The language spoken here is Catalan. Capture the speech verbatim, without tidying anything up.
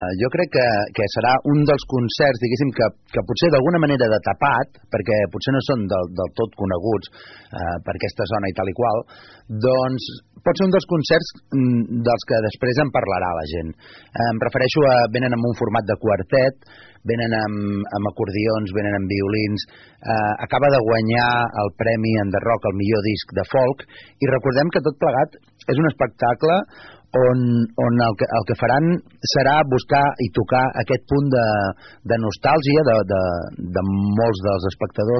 Jo crec que, que serà un dels concerts, diguéssim, que, que potser d'alguna manera de tapat, perquè potser no són del, del tot coneguts eh, per aquesta zona i tal i qual, doncs pot ser un dels concerts mm, dels que després en parlarà la gent. Eh, em refereixo a... venen amb un format de quartet, venen amb, amb acordions, venen amb violins, eh, acaba de guanyar el premi en The Rock, el millor disc de folk, i recordem que tot plegat és un espectacle on, on el, que, el que faran serà buscar i tocar aquest punt de, de nostàlgia de, de, de molts dels espectadors